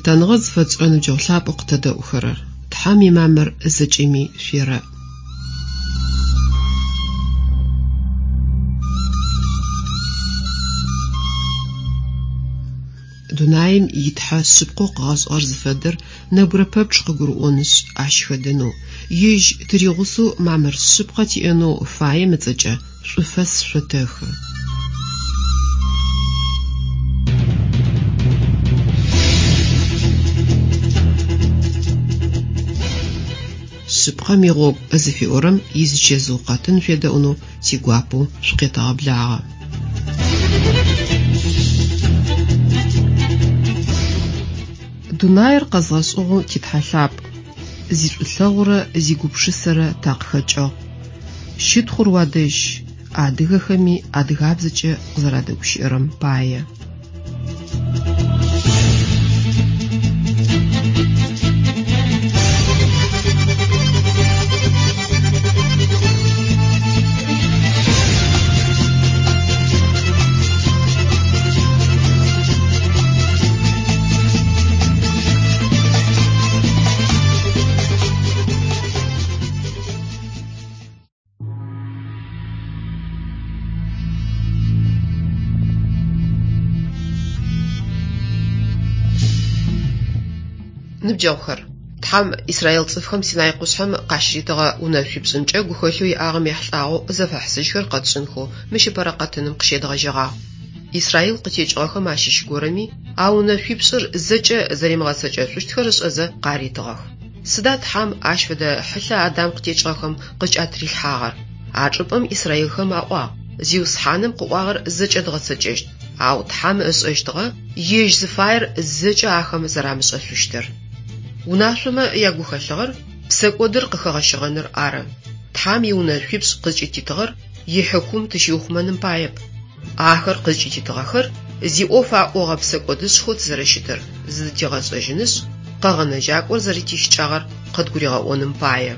Лъытэныгъэ зыфэтшӏырэ ныбджэгъу лъапӏэу къытэдэӏухэрэр! Тхьэм имамыр зэкӏэми шъуерэӏ. Дунаим и Тхьэ шъыпкъэу къыгъэшӏыгъэр зыфэдэр нэбгырэ пэпчъ къыгурыӏонышъ, ащ хэдэнэу, Ежь тыригъусэу мамыр шъыпкъэ тиӏэнэу фаем ыцӏэкӏэ шӏуфэс шъотэхы. Шъыпкъэм игъогу зыфиӏорэм изычэзыу къэтын шъуедэӏунэу тигуапэу шъукъетэгъэблагъэ. Дунаир къэзгъэшӏыгъэу ти Тхьэ лъапӏ, зишӏулъэгъурэ зигупшысэрэ такъыхэкӏыгъ. Щытхъур уадэжь, адыгэхэми адыгабзэкӏэ къызэрадэгущыӏэрэм пае. Ныбджэгъухэр, Тхьэм Израил цӏыфхэм Синай къушъхьэм къащыритыгъэ унэшъуипшӏымкӏэ гухэлъэу иӏагъэм ехьылӏагъэу зэфэхьысыжьхэр къэтшӏынхэу мыщ ыпэрэ къэтыным къыщедгъэжьэгъагъ. Израил къытекӏыгъэхэм ащыщ горэми а унэшъуипшӏыр зэкӏэ зэримыгъэцэкӏэшъущтхэр ышӏэзэ къаритыгъэх. Сыда Тхьэм ащ фэдэ хьылъэ Адам къытекӏыгъэхэм къыкӏатрилъхьагъэр? А чӏыпӏэм израилхэм аӏуагъ, Зиусхьаным къыӏуагъэр зэкӏэ дгъэцэкӏэщт, ау Тхьэм ышӏэщтыгъэ ежь зыфаер зэкӏэ ахэм зэрамышӏэшъущтыр. Унашъомэ ягухэлъыгъэр псэкӏодыр къыхэгъэщыгъэныр ары. Тхьэм иунэшъуипшӏ къызкӏытитыгъэр ихьыкум тыщиухъумэным паеп. Ахэр къызкӏытитыгъэхэр зиӏоф аӏогъэ псэкӏодышӏхэу тызэрэщытыр зыдытигъэшӏэжьынышъ, Къэгъэнэжьакӏор зэрэтищыкӏагъэр къыдгуригъэӏоным пае.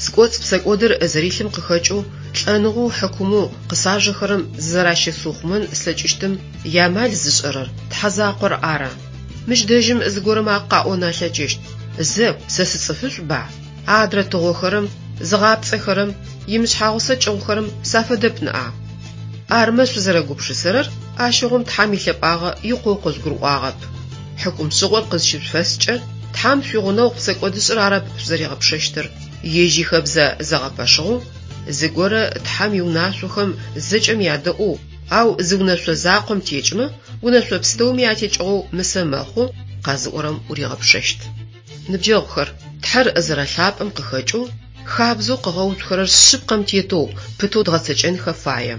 Скӏоцӏ псэкӏодыр зэрилъым къыхэкӏэу лӏэныгъэу хьыкумэу къысажэхэрэм зызэращысыухъумэн слъэкӏыщтым иамал зышӏэрэр Тхьэ закъор ары. Мыщ дэжьым зыгорэм къаӏон алъэкӏыщт, Зэ, сэ сыцӏыфышӏуба? Адрэ тыгъохэрэм, зыгъапцӏэхэрэм, имышъхьагъусэ кӏыгъухэрэм сафэдэп ныӏа? Армэ шъузэрэгупшысэрэр, ащыгъум Тхьэм илъэпӏагъэ икъоу къыжъугурыӏуагъэп. Хьыкумшӏыгъор къызщышъуфэскӏэ, Тхьэм шъуигъунэгъу псэкӏодышӏыр арэп шъузэригъэпшэщтыр, ежь ихэбзэ зэгъэпэшыгъэу, зыгорэ Тхьэм иунашъохэм зэкӏэм ядэӏоу, ау зы унэшъо закъом текӏымэ, унэшъо пстэуми атекӏыгъэу мысэ мэхъу, къэзыӏорэм уригъэпшэщт. Ныбджэгъухэр, Тхьэр зэрэлъапӏэм къыхэкӏэу, хабзэу къыгъэуцухэрэр шъыпкъэм тетэу, пытэу дгъэцэкӏэнхэ фае.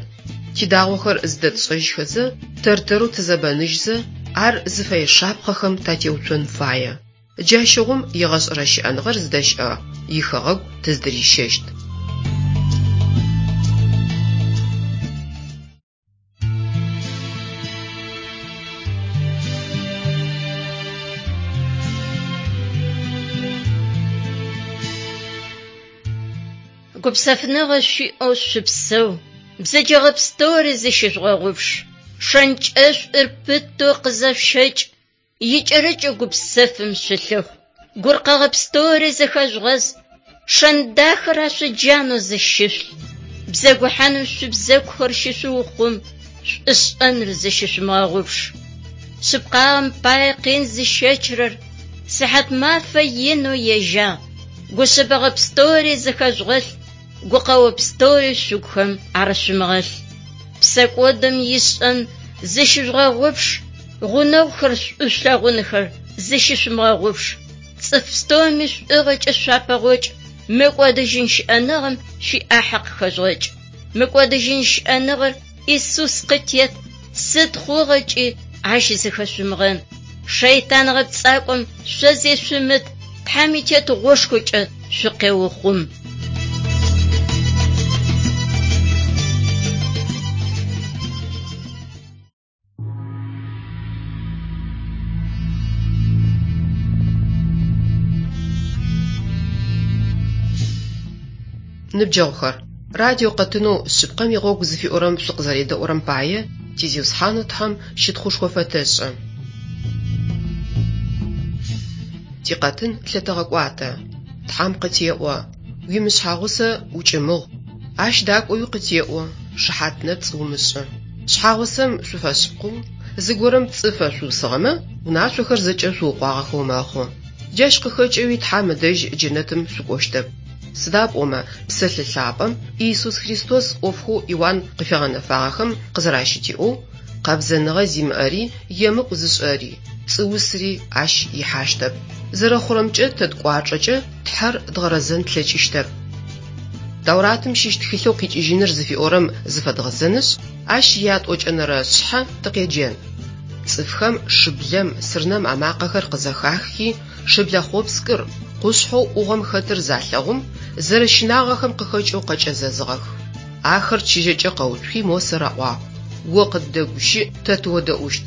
Тидагъохэр зыдэтшӏэжьхэзэ, тэр-тэрэу тызэбэныжьзэ, ар зыфэе шапхъэхэм татеуцон фае. Джащыгъум егъэшӏэрэ щыӏэныгъэр зыдэщыӏэ ихэгъэгу тыздырищэщт. Гупсэфыныгъэ шъуиӏэу шъупсэу, бзэджэгъэ пстэури зыщыжъугъэгъупш, шэнкӏэшӏур пытэу къызэшъущэкӏ, икӏэрыкӏэу гупсэфым шъулъыхъу. Гуркъэгъэ пстэури зэхэжъугъэз, шэн дахэр ашъоджанэу зыщышъулъ. Бзэгухьаным шъуибзэгухэр щышъуухъум, шӏушӏэныр зыщышъумыгъэгъупш. Шъыпкъагъэм пае къин зыщэчырэр сыхьат мафэ инэу ежьагъ. Гушъэбэгъэ пстэури зыхэжъугъэлъ, гукъэо пстэури шъугухэм арышъумыгъэлъ. Псэкӏодым ишӏэн зыщыжъугъэгъупш, гъунэгъухэр шӏу шъулъэгъунхэр зыщышъумыгъэгъупш. Цӏыф пстэуми шӏугъэкӏэ шъуапэгъокӏ, мыкӏодыжьын щыӏэныгъэм шъуиӏахьэ къыхэжъугъэкӏ. Мыкӏодыжьын щыӏэныгъэр Исус къытет, сыд хъугъэкӏи ащ зыхэшъумыгъэн. Шэйтан гъэпцӏакӏом шъо зешъумыт, Тхьэм итетыгъошхокӏэ шъукъеухъум. Ныбджэгъухэр, радио къэтынэу Шъыпкъэм игъогу зыфиӏорэм шъукъызэредэӏурэм пае ти Зиусхьанэу Тхьэм щытхъушхо фэтэшӏы. Тикъэтын лъытэгъэкӏуатэ. Тхьам къытеӏо: уимышъхьагъусэ укӏымыгъу. Ащ дакӏоуи къытеӏо: шыхьат нэпцӏ умышӏы. Шъхьагъусэм шъуфэшъыпкъэу, зыгорэм пцӏы фэшъуусыгъэмэ, унашъохэр зэкӏэ шъуукъуагъэхэу мэхъу. Джащ къыхэкӏэуи Тхьам ыдэжь джэнэтым шъукӏощтэп. Сыда пӏомэ Псэлъэ лъапӏэм Иисус Христос ӏофхэу Иуан къыфигъэнэфагъэхэм къызэращытиӏоу, къэбзэныгъэ зимыӏэри, емыкӏу зышӏэри, пцӏыусри ащ ихьащтэп. Зэрэхъурэмкӏэ тэ ткӏуачӏэкӏэ Тхьэр дгъэрэзэн тлъэкӏыщтэп. Тауратым щыщ тхылъэу къикӏыжьыныр зыфиӏорэм зыфэдгъэзэнышъ, ащ ятӏокӏэнэрэ шъхьэ тыкъеджэн. Цӏыфхэм шыблэм, сырнэм амакъэхэр къызэхахи, шыблэ хъопскӏыр, къушъхьэу ӏугъом хэтыр залъэгъум, зэрэщынагъэхэм къыхэкӏэу къэкӏэзэзыгъэх. Ахэр чыжьэкӏэ къэуцухи Мосэ раӏуагъ: О къыддэгущыӏ, тэ тыодэӏущт.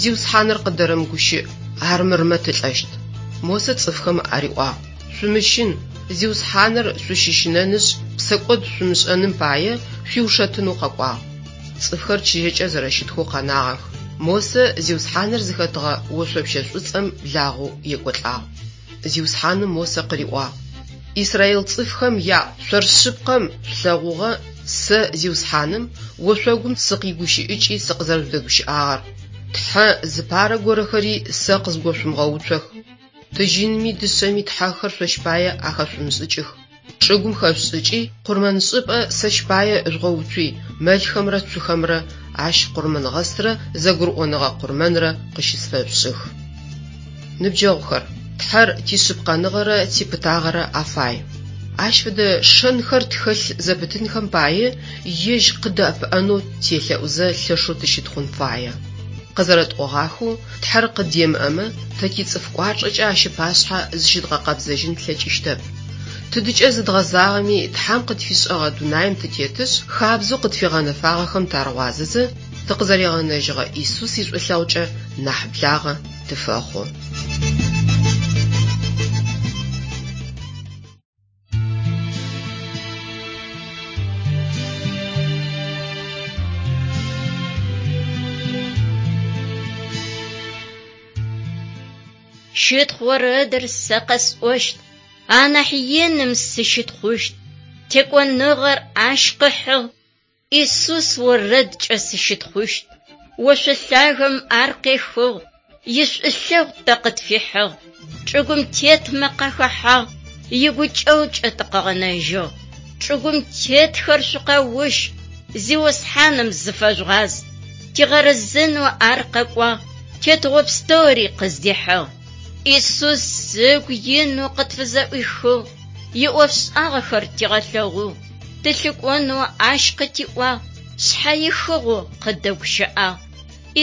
Зиусхьаныр къыддэрэмыгущыӏ, армырмэ тылӏэщт. Мосэ цӏыфхэм ариӏуагъ: Шъумыщын, Зиусхьаныр шъущыщынэнышъ, псэкӏод шъумышӏэным пае шъуиушэтынэу къэкӏуагъ. Цӏыфхэр чыжьэкӏэ зэрэщытхэу къэнагъэх. Мосэ Зиусхьаныр зыхэтыгъэ ошъопщэ шӏуцӏэм благъэу екӏолӏагъ. Зиусхьаным Мосэ къыриӏуагъ: Израил цӏыфхэм яӏу, шъор шъыпкъэм шъулъэгъугъэ сэ Зиусхьаным ошъогум сыкъигущыӏыкӏи сыкъызэрэжъудэгущыӏагъэр. Тхьэ зыпарэ горэхэри сэ къызгошъумыгъэуцох. Тыжьынми дышъэми тхьэхэр шъощ пае ахэшъумышӏыкӏых. Чӏыгум хэшъушӏыкӏи, къурмэншӏыпӏэ сэщ пае жъугъэуцуи, мэлхэмрэ цухэмрэ ащ къурмэнгъэстрэ зэгурыӏоныгъэ къурмэнрэ къыщысфэшъушӏых. Ныбджэгъухэр, Тхьэр тишъыпкъэныгъэрэ типытагъэрэ афай. Ащ фэдэ шэнхэр тхэлъ зэпытынхэм пае ежь къыдэӏэпыӏэнэу телъэӏузэ лъэшэу тыщытхъун фае. Къызэрэтӏогъахэу, Тхьэр къыддемыӏэмэ, тэ тицӏыф кӏуачӏэкӏэ ащ ыпашъхьэ зыщыдгъэкъэбзэжьын тлъэкӏыщтэп. Тыдыкӏэ зыдгъэзагъэми, Тхьэм къытфишӏэгъэ дунаим тытетышъ, хабзэу къытфигъэнэфагъэхэм тарыгъуазэзэ, тыкъызэригъэнэжьыгъэ Исус ишӏулъэгъукӏэ нахь благъэ тыфэхъу. Щытхъу орэдыр сэ къэсӏощт, анахь иным сыщытхъущт. Текӏоныгъэр ащ къыхьыгъ, Исус орэдкӏэ сыщытхъущт. Ошъо лъагэм ар къехыгъ, ишӏулъэгъу тэ къытфихьыгъ. Чӏыгум тетмэ къахэхьагъ, игукӏэгъукӏэ тыкъыгъэнэжьыгъ. Чӏыгум тетхэр шъукъэущ, Зиусхьаным зыфэжъугъаз. Тигъэрэзэнэу ар къэкӏуагъ, тетыгъо пстэури къыздихьыгъ. Исус ыгу инэу къытфызэӏуихыгъ, иӏофшӏагъэхэр тигъэлъэгъугъ. Тылъыкӏонэу ащ къытиӏуагъ, шъхьэихыгъэу къыддэгущыӏагъ.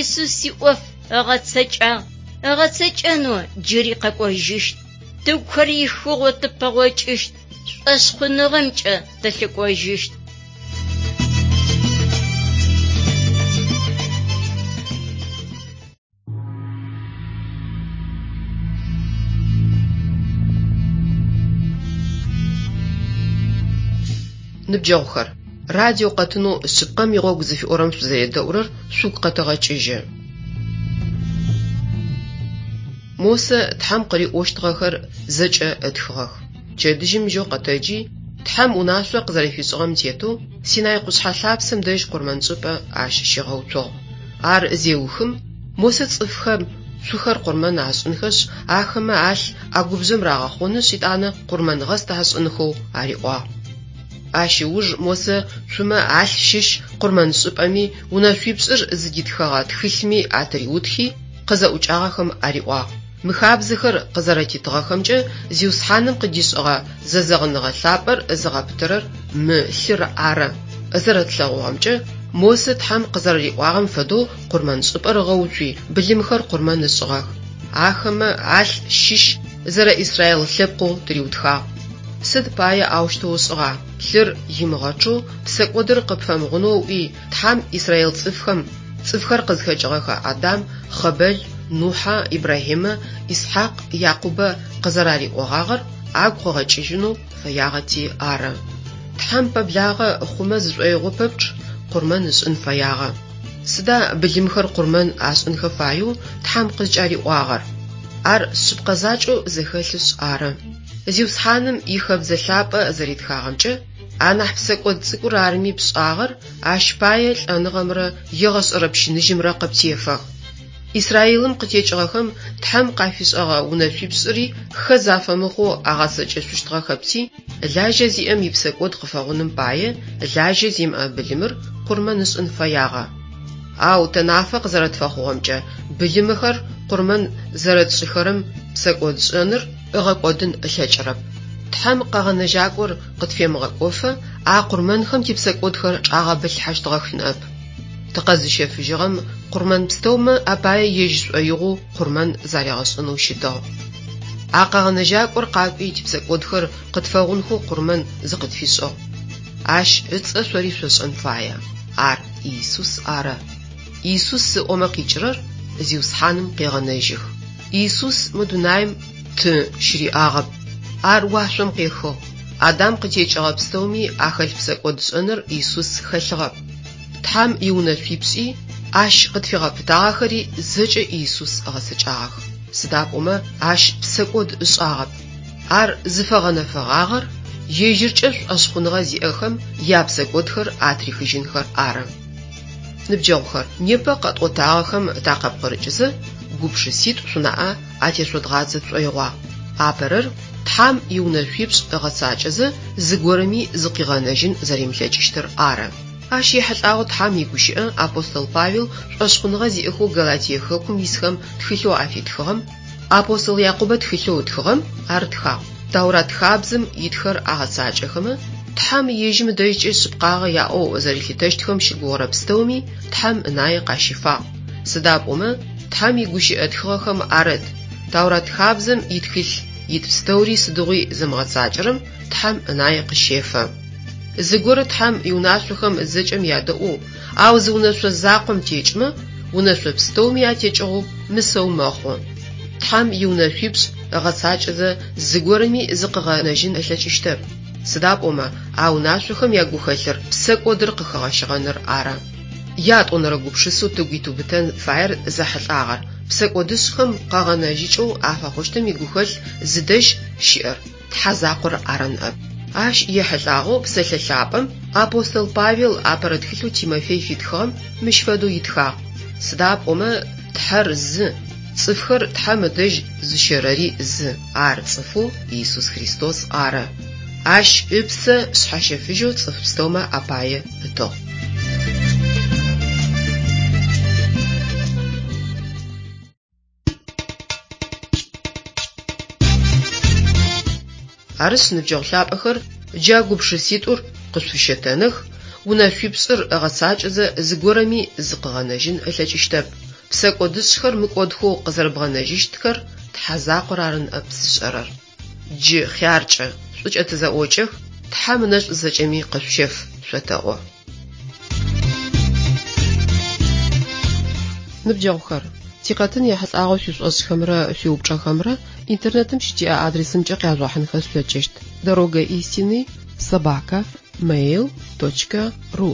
Исус иӏоф ыгъэцэкӏагъ, ыгъэцэкӏэнэу джыри къэкӏожьыщт. Тыгухэр ихыгъэу тыпэгъокӏыщт, шӏошъхъуныгъэмкӏэ тылъыкӏожьыщт. Ныбджэгъухэр, радио къэтынэу Шъыпкъэм игъогу зыфиӏорэм шъузэредэӏурэр шъугу къэтэгъэкӏыжьы. Мосэ Тхьэм къыриӏощтыгъэхэр зэкӏэ ытхыгъэх. Пчэдыжьым жьэу къэтэджи, Тхьэм унашъо къызэрэфишӏыгъэм тетэу Синай къушъхьэ лъапсэм дэжь къурмэншӏыпӏэ ащ щигъэуцугъ. Ар зеухым, Мосэ цӏыфхэм цухэр къурмэн ашӏынхэшъ, ахэмэ алъ ӏэгубжъэм рагъэхъонышъ, етӏанэ къурмэнгъэст ашӏынхэу ариӏуагъ. Ащ ыуж Мосэ цумэ алъ щыщ къурмэншӏыпӏэми унэшъуипшӏыр зыдитхэгъэ тхылъми атыриутхи, къызэӏукӏагъэхэм ариӏуагъ: Мы хабзэхэр къызэрэтитыгъэхэмкӏэ Зиусхьаным къыдишӏыгъэ зэзэгъыныгъэ лъапӏэр зыгъэпытэрэр мы лъыр ары. Зэрэтлъэгъугъэмкӏэ, Мосэ Тхьэм къызэрэриӏуагъэм фэдэу къурмэншӏыпӏэр ыгъэуцуи, былымхэр къурмэн ышӏыгъэх. Ахэмэ алъ щыщ зэрэ Израил лъэпкъэу тыриутхагъ. Сыд пае аущтэу ышӏыгъа? Лъыр имыгъэчъэу псэкӏодыр къыпфэмыгъунэу ыӏуи, Тхьэм Израил цӏыфхэм, цӏыфхэр къызхэкӏыгъэхэ Адам, Хъэбэл, Нухьэ, Ибрахьимэ, Исхьакъ, Якъубэ къызэрариӏогъагъэр агу къыгъэкӏыжьынэу фэягъэти ары. Тхьэм пэблагъэ хъумэ зышӏоигъо пэпчъ къурмэн ышӏын фэягъэ. Сыда былымхэр къурмэн ашӏынхэ фаеу Тхьэм къызкӏариӏуагъэр? Ар шъыпкъэ закӏэу зэхэлъышъ ары. Зиусхьаным ихэбзэ лъапӏэ зэритхагъэмкӏэ, анахь псэкӏод цӏыкӏур арыми пшӏагъэр, ащ пае лӏэныгъэмрэ егъэшӏэрэ пщыныжьымрэ къыптефэх. Израилым къытекӏыгъэхэм Тхьэм къафишӏэгъэ унэшъуипшӏыри хэз афэмыхъоу агъэцэкӏэшъущтыгъэхэпти, лажьэ зиӏэм ипсэкӏод къыфэгъуным пае лажьэ зимыӏэ былымыр къурмэн ышӏын фэягъэ. Ау тэ нафэ къызэрэтфэхъугъэмкӏэ, былымыхэр къурмэн зэрэтшӏыхэрэм псэкӏодшӏэныр ыгъэкӏодын ылъэкӏырэп. Тхьэм Къэгъэнэжьакӏор къытфемыгъэкӏофэ а къурмэнхэм типсэкӏодхэр чӏагъэбылъхьэщтыгъэх ныӏэп. Тыкъэзыщэфыжьыгъэм къурмэн пстэумэ апае ежь шӏоигъоу къурмэн заригъэшӏынэу щытыгъ. А Къэгъэнэжьакӏор къакӏуи типсэкӏодхэр къытфэгъунхэу къурмэн зыкъытфишӏыгъ. Ащ ыцӏэ шъори шъошӏэн фае. Ар Иисус ары. Иисус ыӏомэ къикӏырэр Зиусхьаным къегъэнэжьых. Иисус мы дунаим ты щыриӏагъэп. Ар уашъом къехыгъ. Адам къытекӏыгъэ пстэуми ахэлъ псэкӏодшӏэныр Иисус хэлъыгъэп. Тхьэм иунэшъуипшӏи, ащ къытфигъэпытагъэхэри зэкӏэ Иисус ыгъэцэкӏагъэх. Сыда пӏомэ ащ псэкӏод ышӏагъэп. Ар зыфэгъэнэфэгъагъэр ежьыркӏэ шӏошъхъуныгъэ зиӏэхэм япсэкӏодхэр атрихыжьынхэр ары. Ныбджэгъухэр, непэ къэтӏотагъэхэм такъыпкъырыкӏызэ, гупшыситӏу шъунаӏэ атешъодгъадзэ тшӏоигъуагъ. Апэрэр, Тхьэм иунэшъуипшӏ ыгъэцакӏэзэ зыгорэми зыкъигъэнэжьын зэримылъэкӏыщтыр ары. Ащ ехьылӏагъэу Тхьэм игущыӏэ апостол Павел шӏошъхъуныгъэ зиӏэхэу Галатие хэкум исхэм тхылъэу афитхыгъэм, апостол Якъубэ тхылъэу ытхыгъэм ар тхагъ. Таурат хабзэм итхэр агъэцакӏэхэмэ, Тхьэм ежьым ыдэжькӏэ шъыпкъагъэ яӏэу зэрилъытэщтхэм щыгугъырэ пстэуми Тхьэм ынае къащифагъ. Сыда пӏомэ, Тхьэм игущыӏэ тхыгъэхэм арыт, Таурат хабзэм итхылъ ит пстэури сыдигъуи зымыгъэцакӏэрэм Тхьэм ынае къыщефэ. Зыгорэ Тхьэм иунашъохэм зэкӏэм ядэӏоу, ау зы унэшъо закъом текӏымэ, унэшъо пстэуми атекӏыгъэу мысэу мэхъу. Тхьэм иунэшъуипшӏ ыгъэцакӏэзэ зыгорэми зыкъыгъэнэжьын ылъэкӏыщтэп, сыда пӏомэ а унашъохэм ягухэлъыр псэкӏодыр къыхэгъэщыгъэныр ары. Ятӏонэрэ гупшысэу тыгу итыубытэн фаер зэхьылӏагъэр псэкӏодышӏхэм къэгъэнэжьыкӏэу афэхъущтым игухэлъ зыдэжь щыӏэр Тхьэ закъор ары ныӏэп. Ащ ехьылӏагъэу Псэлъэ Лъапӏэм апостол Павел апэрэ тхылъэу Тимофей фитхыгъэм мыщ фэдэу итхагъ, Сыда пӏомэ Тхьэр зы, цӏыфхэр Тхьэм ыдэжь зыщэрэри зы, ар цӏыфэу Иисус Христос ары. Ащ ыпсэ шъхьэщэфыжьэу цӏыф пстэумэ апае ытыгъ. Арышъ, ныбджэгъу лъапӏэхэр, джа гупшыситӏур къышъуфыщэтэных, унэшъуипшӏыр ыгъэцакӏэзэ зыгорэми зыкъыгъэнэжьын ылъэкӏыщтэп, псэкӏодышӏхэр мыкӏодхэу къызэрэбгъэнэжьыщтхэр Тхьэ закъор ары ныӏэп зышӏэрэр. Джы хъяркӏэ, шӏукӏэ тызэӏокӏэх, Тхьэм ынэшӏу зэкӏэми къышъущеф, шъотэӏо. Ныбджэгъухэр, тикъэтын ехьылӏагъэу шъуишӏошӏхэмрэ шъуиупчӏэхэмрэ интернетым щытиӏэ адресымкӏэ къяжъугъэхьынхэ шъулъэкӏыщт: Дорога истины собака mail точка ru.